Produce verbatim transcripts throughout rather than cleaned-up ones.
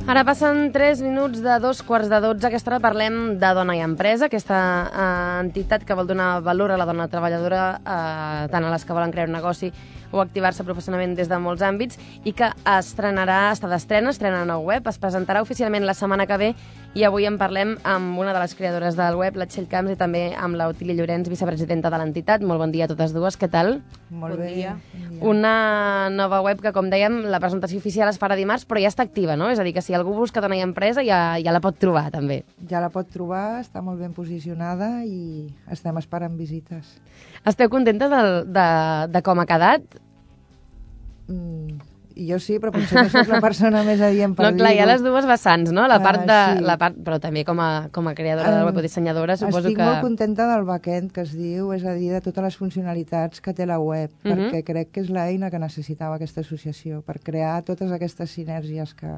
Ara passen tres minuts de dos quarts de dotze. Aquesta hora parlem de Dona i Empresa, aquesta eh, entitat que vol donar valor a la dona treballadora, eh, tant a les que volen crear un negoci o activar-se professionalment des de molts àmbits, i que estrenarà, està d'estrena, estrena nou web, es presentarà oficialment la setmana que ve, i avui en parlem amb una de les creadores del web, la Txell Camps, i també amb l'Otília Llorenç, vicepresidenta de l'entitat. Molt bon dia a totes dues, què tal? Molt Bon bé. dia. Una nova web que, com dèiem, la presentació oficial es farà dimarts, però ja està activa, no? És a dir, que si algú busca Dona i Empresa ja, ja la pot trobar, també. Ja la pot trobar, està molt ben posicionada i estem esperant visites. Esteu contentes de, de, de com ha quedat? Mm, jo sí, però potser no soc la persona més adient per No, clar, hi ha dir-ho. les dues vessants, no? La part de, Ah, sí. la part, però també com a, com a creadora de Em, web o dissenyadora, suposo Estic que... molt contenta del backend que es diu, és a dir, de totes les funcionalitats que té la web, Mhm. perquè crec que és l'eina que necessitava aquesta associació, per crear totes aquestes sinergies que,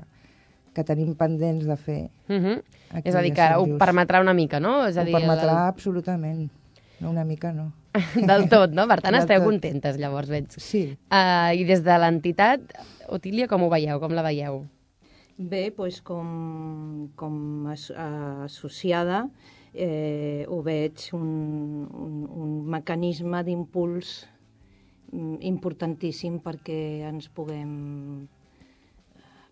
que tenim pendents de fer. Mhm. Aquí És a dir, a que Sant ho Just. permetrà una mica, no? És a Ho dir, permetrà absolutament. No, una mica no. Del, del tot, no? Per tant, Del esteu tot. contentes, llavors, veig. Sí. Uh, I des de l'entitat, Otília, com ho veieu? Com la veieu? Bé, doncs com, com as, associada eh, ho veig un, un, un mecanisme d'impuls mm, importantíssim perquè ens puguem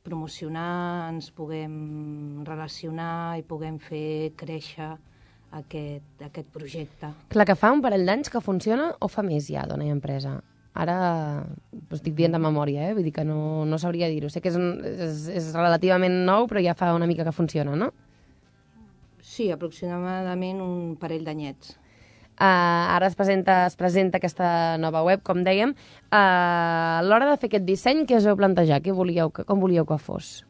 promocionar, ens puguem relacionar i puguem fer créixer aquest, aquest projecte. Clar, que fa un parell d'anys que funciona o fa més ja, Dona i Empresa? Ara ho estic dient de memòria, eh? Vull dir que no, no sabria dir-ho. Sé que és, un, és, és relativament nou, però ja fa una mica que funciona, no? Sí, aproximadament un parell d'anyets. Uh, ara es presenta, es presenta aquesta nova web, com dèiem. Uh, a l'hora de fer aquest disseny, què us heu plantejat? Què volíeu, que- com volíeu que fos?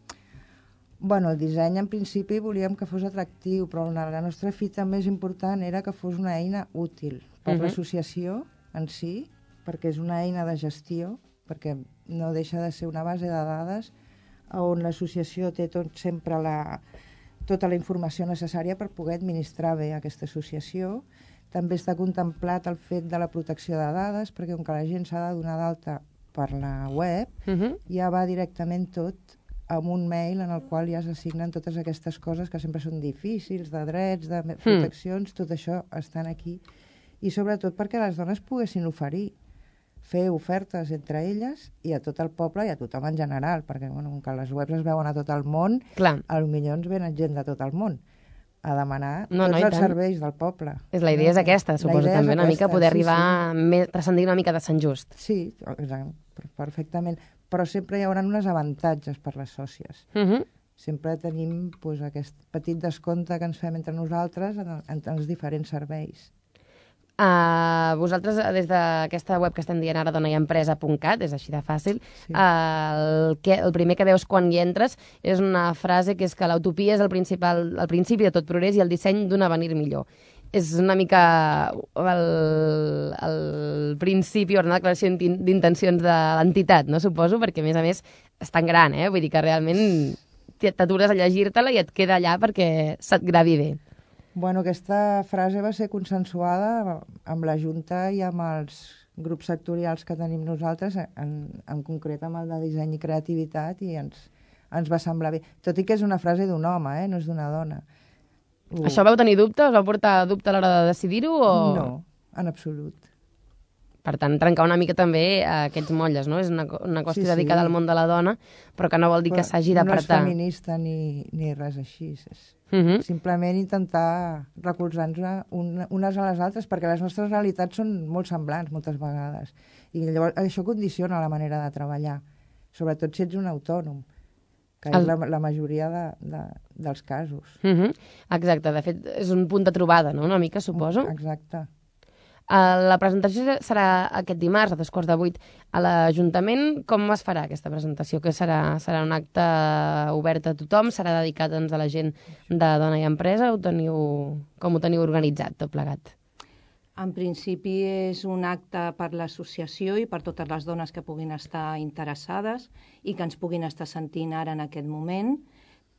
Bueno, el disseny en principi volíem que fos atractiu, però la, la nostra fita més important era que fos una eina útil per Mhm. l'associació en si, perquè és una eina de gestió, perquè no deixa de ser una base de dades on l'associació té tot, sempre la, tota la informació necessària per poder administrar bé aquesta associació. També està contemplat el fet de la protecció de dades, perquè com que la gent s'ha de donar d'alta per la web, Uh -huh. ja va directament tot amb un mail en el qual ja s'assignen totes aquestes coses que sempre són difícils, de drets, de proteccions, tot això estan aquí. I sobretot perquè les dones poguessin oferir, fer ofertes entre elles i a tot el poble i a tothom en general, perquè bueno, com que les webs es veuen a tot el món, Clar, a potser ens venen gent de tot el món a demanar No, tots no, i els tant. serveis del poble. és, la idea és aquesta, La suposo, idea és també, una mica aquesta, poder sí, arribar, sí. més, transcendir una mica de Sant Just. Sí, exacte, perfectament. Però sempre hi haurà uns avantatges per les sòcies. Uh -huh. Sempre tenim pues, aquest petit descompte que ens fem entre nosaltres en, en els diferents serveis. Uh, vosaltres, des d'aquesta web que estem dient ara, dona i empresa punt cat, és així de fàcil, Sí. uh, el, que, el primer que veus quan hi entres és una frase que és que l'utopia és el, principal, el principi de tot progrés i el disseny d'un avenir millor. És una mica el, el principi o una declaració d'in- d'intencions de l'entitat, no? Suposo, perquè a més a més és tan gran, eh? Vull dir que realment t'atures a llegir-te-la i et queda allà perquè se't gravi bé. Bueno, aquesta frase va ser consensuada amb la Junta i amb els grups sectorials que tenim nosaltres, en, en concret amb el de disseny i creativitat, i ens, ens va semblar bé. Tot i que és una frase d'un home, eh? No és d'una dona. Uh, Això vau tenir dubte? Us vau portar dubte a l'hora de decidir-ho? O... No, en absolut. Per tant, trencar una mica també a aquests motlles, no? És una, co- una qüestió Sí, sí. dedicada al món de la dona, però que no vol dir que Però s'hagi no és d'apartar. feminista ni, ni res així. És Uh -huh. simplement intentar recolzar-nos un, unes a les altres, perquè les nostres realitats són molt semblants moltes vegades. I llavors això condiciona la manera de treballar, sobretot si ets un autònom, que El- és la, la majoria de, de, dels casos. Uh -huh. Exacte, de fet, és un punt de trobada, no?, una mica, suposo. Exacte. Uh, la presentació serà aquest dimarts, a dos quarts de vuit, a l'Ajuntament. Com es farà aquesta presentació? Que serà, serà un acte obert a tothom? Serà dedicat doncs, a la gent de Dona i Empresa? Ho teniu, com ho teniu organitzat, tot plegat? En principi és un acte per l'associació i per totes les dones que puguin estar interessades i que ens puguin estar sentint ara en aquest moment,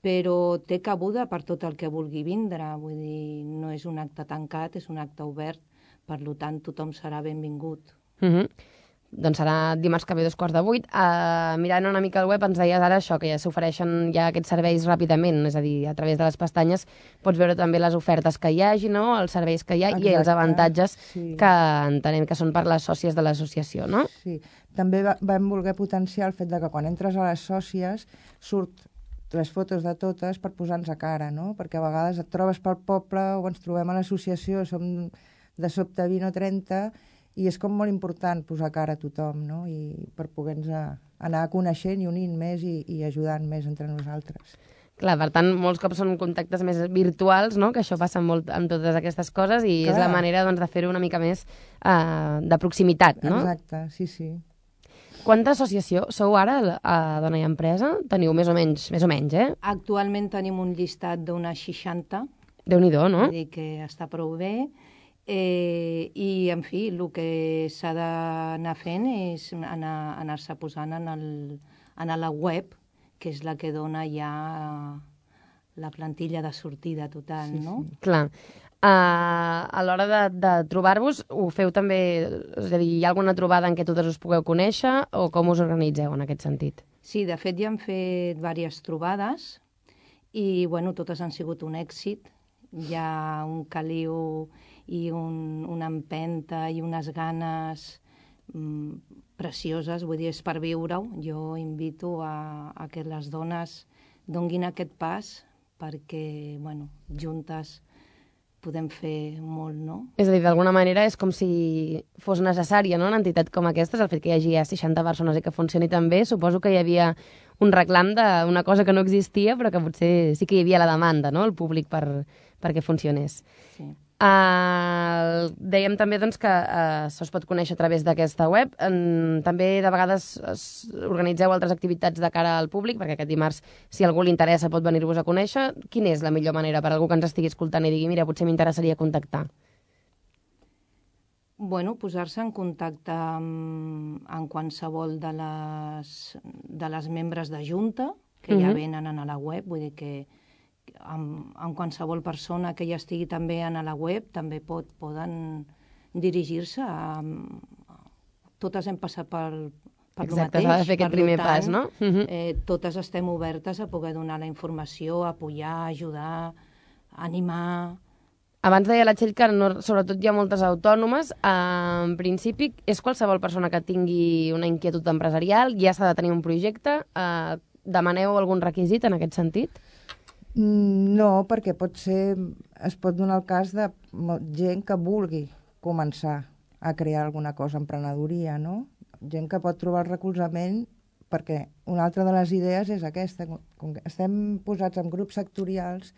però té cabuda per tot el que vulgui vindre. Vull dir, no és un acte tancat, és un acte obert, per tant tothom serà benvingut. Uh -huh. doncs serà dimarts que ve dos quarts de vuit. Uh, mirant una mica el web ens deies ara això, que ja s'ofereixen ja aquests serveis ràpidament, és a dir, a través de les pestanyes pots veure també les ofertes que hi hagi, no? Els serveis que hi ha. Exacte. I els avantatges sí. que entenem que són per les sòcies de l'associació, no? Sí, també va, vam voler potenciar el fet de que quan entres a les sòcies surt les fotos de totes per posar-nos a cara, no? Perquè a vegades et trobes pel poble o ens trobem a l'associació, som de sobte vint o trenta, i és com molt important posar cara a tothom, no? I per poder-nos anar coneixent i unint més i, i ajudant més entre nosaltres. Clar, per tant, molts cops són contactes més virtuals, no? Que això passa molt amb totes aquestes coses i Clar. És la manera doncs, de fer-ho una mica més uh, de proximitat, no? Exacte, sí, sí. Quanta associació sou ara a Dona i Empresa? Teniu més o menys, més o menys, eh? Actualment tenim un llistat d'unes seixanta. Déu-n'hi-do, no? Vull dir que està prou bé. Eh, I, en fi, el que s'ha d'anar fent és anar, anar-se posant en, el, en la web, que és la que dona ja la plantilla de sortida total, sí, no? Sí. Clar. Uh, a l'hora de, de trobar-vos, ho feu també... És a dir, hi ha alguna trobada en què totes us pugueu conèixer o com us organitzeu en aquest sentit? Sí, de fet ja hem fet diverses trobades i, bueno, totes han sigut un èxit. Hi ha un caliu i un, una empenta i unes ganes mm, precioses, vull dir, és per viure-ho. Jo invito a, a que les dones donguin aquest pas perquè, bueno, juntes podem fer molt, no? És a dir, d'alguna manera és com si fos necessària, no?, una entitat com aquesta, el fet que hi hagi ja seixanta persones i que funcioni tan bé. Suposo que hi havia un reclam d'una cosa que no existia, però que potser sí que hi havia la demanda, no?, el públic per, perquè funcionés. Sí. Uh, dèiem també doncs, que uh, se'ls pot conèixer a través d'aquesta web. Um, també de vegades es, organitzeu altres activitats de cara al públic, perquè aquest dimarts, si algú li interessa, pot venir-vos a conèixer. Quina és la millor manera per algú que ens estigui escoltant i digui, mira, potser m'interessaria contactar? Bueno, posar-se en contacte amb, amb qualsevol de les, de les membres de Junta, que uh-huh. ja venen a la web, vull dir que amb, amb qualsevol persona que ja estigui també a la web també pot, poden dirigir-se a, a... Totes hem passat per, per el mateix. Exacte, s'ha de fer aquest primer tant, pas, no? Uh-huh. eh, totes estem obertes a poder donar la informació, apoyar, ajudar, animar... Abans deia la Txell que no, sobretot hi ha moltes autònomes. Eh, en principi, és qualsevol persona que tingui una inquietud empresarial, ja s'ha de tenir un projecte. Eh, demaneu algun requisit en aquest sentit? No, perquè pot ser, es pot donar el cas de gent que vulgui començar a crear alguna cosa, emprenedoria, no? Gent que pot trobar el recolzament, perquè una altra de les idees és aquesta. Com que estem posats en grups sectorials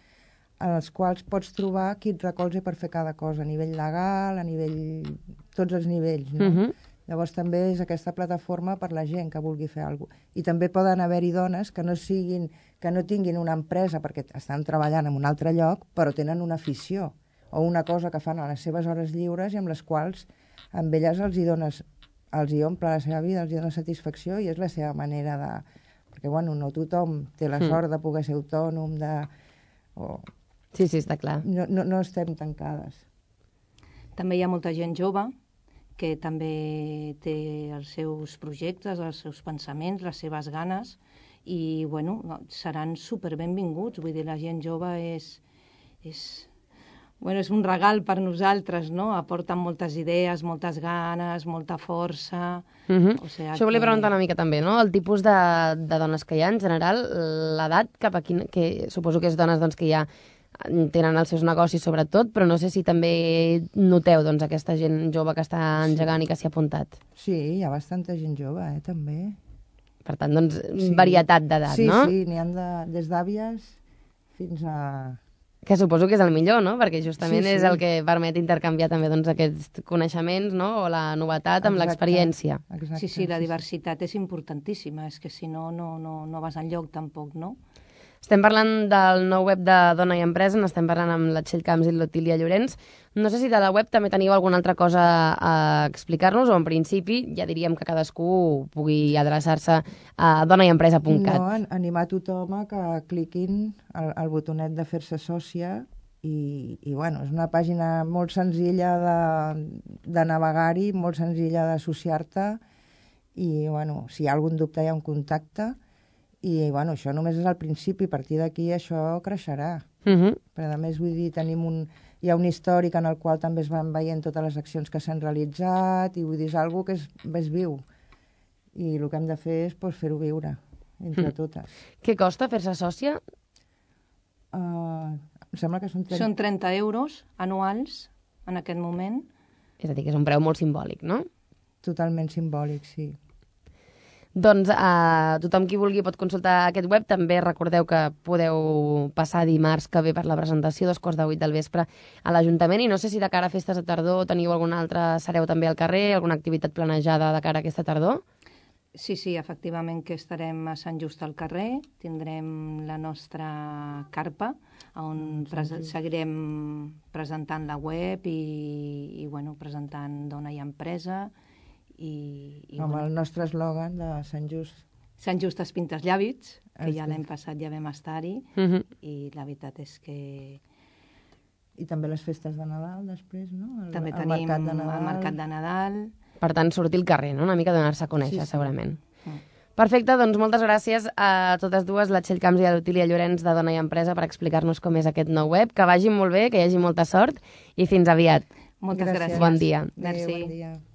en els quals pots trobar qui et recolza per fer cada cosa, a nivell legal, a nivell... tots els nivells, no? Uh-huh. Llavors també és aquesta plataforma per la gent que vulgui fer alguna cosa. I també poden haver-hi dones que no siguin, que no tinguin una empresa perquè estan treballant en un altre lloc, però tenen una afició o una cosa que fan a les seves hores lliures i amb les quals amb elles els hi dones, els hi omple la seva vida, els hi dona satisfacció i és la seva manera de... Perquè, bueno, no tothom té la sort de poder ser autònom, de... O... Sí, sí, està clar. No, no, no estem tancades. També hi ha molta gent jove que també té els seus projectes, els seus pensaments, les seves ganes, i, bueno, seran superbenvinguts. Vull dir, la gent jove és, és, bueno, és un regal per nosaltres, no? Aporten moltes idees, moltes ganes, molta força... Uh-huh. O sigui, Això volia que... preguntar una mica també, no? El tipus de, de dones que hi ha, en general, l'edat cap a quin... que suposo que és dones doncs, que ja tenen els seus negocis sobretot, però no sé si també noteu doncs, aquesta gent jove que està engegant sí. i que s'hi ha apuntat. Sí, hi ha bastanta gent jove, eh, també. Per tant, doncs, sí. varietat d'edat, sí, no? Sí, sí, n'hi ha de, des d'àvies fins a... Que suposo que és el millor, no? Perquè justament sí, sí. és el que permet intercanviar també doncs, aquests coneixements, no? O la novetat amb l'experiència. Sí, sí, la diversitat és importantíssima, és que si no, no, no, no vas enlloc tampoc, no? Estem parlant del nou web de Dona i Empresa, n'estem parlant amb la Txell Camps i l'Otília Llorenç. No sé si de la web també teniu alguna altra cosa a explicar-nos, o en principi ja diríem que cadascú pugui adreçar-se a dona i empresa punt cat. No, animar tothom a que cliquin al, al botonet de fer-se sòcia i, i bueno, és una pàgina molt senzilla de, de navegar-hi, molt senzilla d'associar-te i bueno, si hi ha algun dubte hi ha un contacte, i bueno, això només és el principi, a partir d'aquí això creixerà. Uh -huh. Però a més, vull dir, tenim un, hi ha un històric en el qual també es van veient totes les accions que s'han realitzat, i vull dir, és una que és, és viu. I el que hem de fer és pues, fer-ho viure, entre mm. totes. Què costa fer-se sòcia? Uh, em sembla que són... trenta... Són trenta euros anuals, en aquest moment. És a dir, que és un preu molt simbòlic, no? Totalment simbòlic, sí. Doncs eh, tothom qui vulgui pot consultar aquest web. També recordeu que podeu passar dimarts que ve per la presentació, dos quarts de vuit del vespre, a l'Ajuntament. I no sé si de cara a festes de tardor teniu alguna altra, sereu també al carrer, alguna activitat planejada de cara a aquesta tardor? Sí, sí, efectivament que estarem a Sant Just al carrer, tindrem la nostra carpa, on pres seguirem presentant la web i, i bueno, presentant Dona i Empresa. I, i amb bueno, el nostre eslògan de Sant Just. Sant Just es pinta els llàbits, que ja l'any passat ja vam estar-hi, uh -huh. i la veritat és que... I també les festes de Nadal, després, no? El, també el tenim mercat de Nadal. el mercat de Nadal. Per tant, sortir al carrer, no? Una mica donar-se a conèixer, sí, sí. segurament. Mm. Perfecte, doncs moltes gràcies a totes dues, la Txell Camps i l'Otília Llorenç de Dona i Empresa, per explicar-nos com és aquest nou web. Que vagi molt bé, que hi hagi molta sort i fins aviat. Moltes gràcies. Bon dia. Merci. Adéu, bon dia.